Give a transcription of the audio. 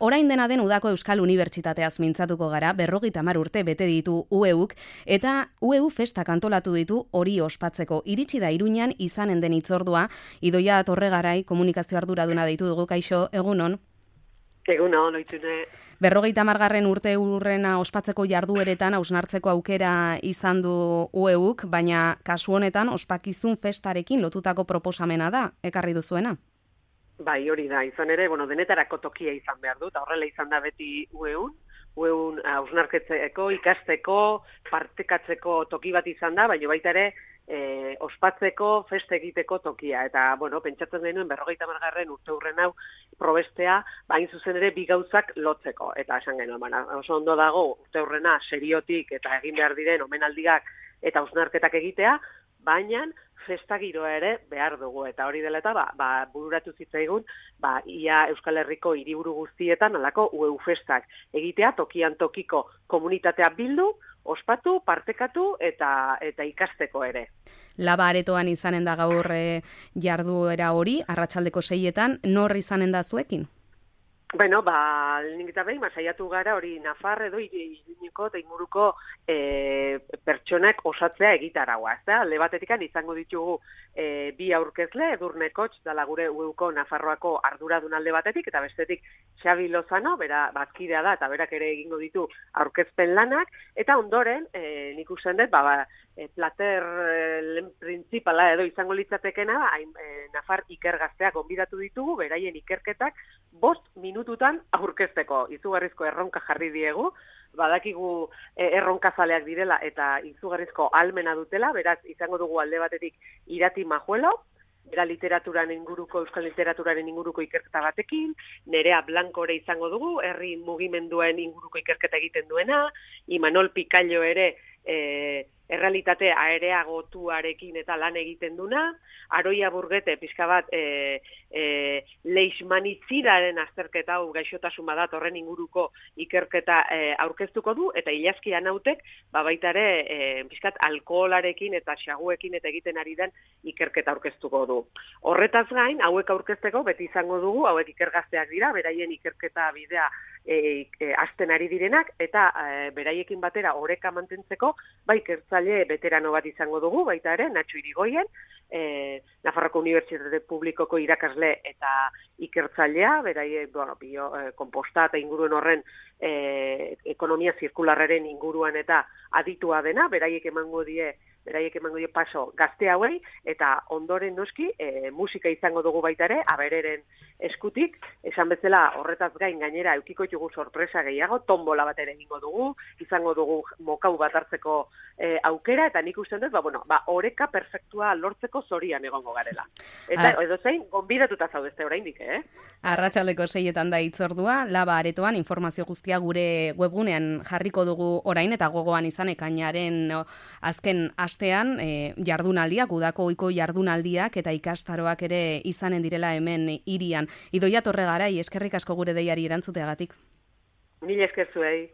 orain dena den udako Euskal Unibertsitateaz mintzatuko gara, 50 urte bete ditu UEUk, eta UEU festak antolatu ditu hori ospatzeko. Iritsi da Iruñan izanen den hitzordua, Idoia Torregarai komunikazio arduraduna deitu dugu, kaixo, egunon. Egunon, oitune. 50. urte urrena ospatzeko jardueretan hausnartzeko aukera izan du UEUk, baina kasu honetan ospakizun festarekin lotutako proposamena da, ekarri duzuena. Bai, hori da, izan ere, denetarako tokia izan behar du, eta horrela izan da beti UEUn hausnarketzeko, ikasteko, partekatzeko toki bat izan da, baina baita ere, ospatzeko, feste egiteko tokia. Eta, pentsatzen genuen 50. urte urren hau probestea, bain zuzen ere bi gauzak lotzeko. Eta esan genuen, oso ondo dago urte urrena seriotik eta egin behar diren omenaldiak eta hausnarketak egitea, baina festa giroa ere behar dugu. Eta hori dela eta bururatu zitzaigun, ia Euskal Herriko hiriburu guztietan alako UEU festak egitea, tokian tokiko komunitatea bildu, ospatu, partekatu eta ikasteko ere. Laba aretoan izanen da gaur jarduera hori, arratsaldeko 6etan, nor izanen da zuekin? Lehenik eta behin, saiatu gara hori Nafar edo Iruñeko eta inguruko pertsonak osatzea egitaragoa. Alde batetik izango ditugu bi aurkezle, Edurne Kotx, dala gure UEUko Nafarroako arduradun alde batetik, eta bestetik Xabi Lozano, bera bazkidea da, eta berak ere egingo ditu aurkezpen lanak, eta ondoren, nik usten dut, plater principala edo izango litzatekena, Nafar ikergazteak gonbidatu ditugu, beraien ikerketak 5 minututan aurkezteko. Izugarrizko erronka jarri diegu, badakigu erronkazaleak direla eta izugarrizko ahalmena dutela, beraz izango dugu alde batetik Irati Majuelo, bera Euskal literaturaren inguruko ikerketa batekin, Nerea Blankore izango dugu, herri mugimenduen inguruko ikerketa egiten duena, Imanol Picayo ere errealitate areagotuarekin eta lan egiten duna, Aroia Burgete pixka bat leishmanitziraren azterketa hau gaixotasun badat horren inguruko ikerketa aurkeztuko du, eta Ilazki Anautek baita ere pixkat alkoholarekin eta xaguekin eta egiten ari den ikerketa aurkeztuko du. Horretaz gain, hauek aurkezteko beti izango dugu, hauek ikergazteak dira, beraien ikerketa bidea hasten ari direnak, eta beraiekin batera oreka mantentzeko, ikertzaile beterano bat izango dugu, baita ere, Natxo Irigoyen, Nafarroko Unibertsitate Publikoko irakasle eta ikertzailea, beraiek konposta eta inguruen horren ekonomia zirkularraren inguruan eta aditua dena, beraiek emango die paso gazte hauei, eta ondoren noski musika izango dugu baita ere, abereren eskutik, esan bezala horretaz gain gainera eukiko ditugu sorpresa gehiago, tombola bat ere egingo dugu, izango dugu mokau bat hartzeko aukera, eta nik usten dut, oreka perfektua lortzeko zorian egongo garela. Eta edozein, gonbidatuta zaudezte oraindik, Arratsaldeko 6etan da hitzordua, Laba aretoan informazio guztia gure webgunean jarriko dugu orain, eta gogoan izan ekainaren azken astean jardunaldiak, udako ohiko jardunaldiak eta ikastaroak ere izanen direla hemen hirian. Idoia Torregarai, eskerrik asko gure deiari erantzuteagatik. Mila esker zuei.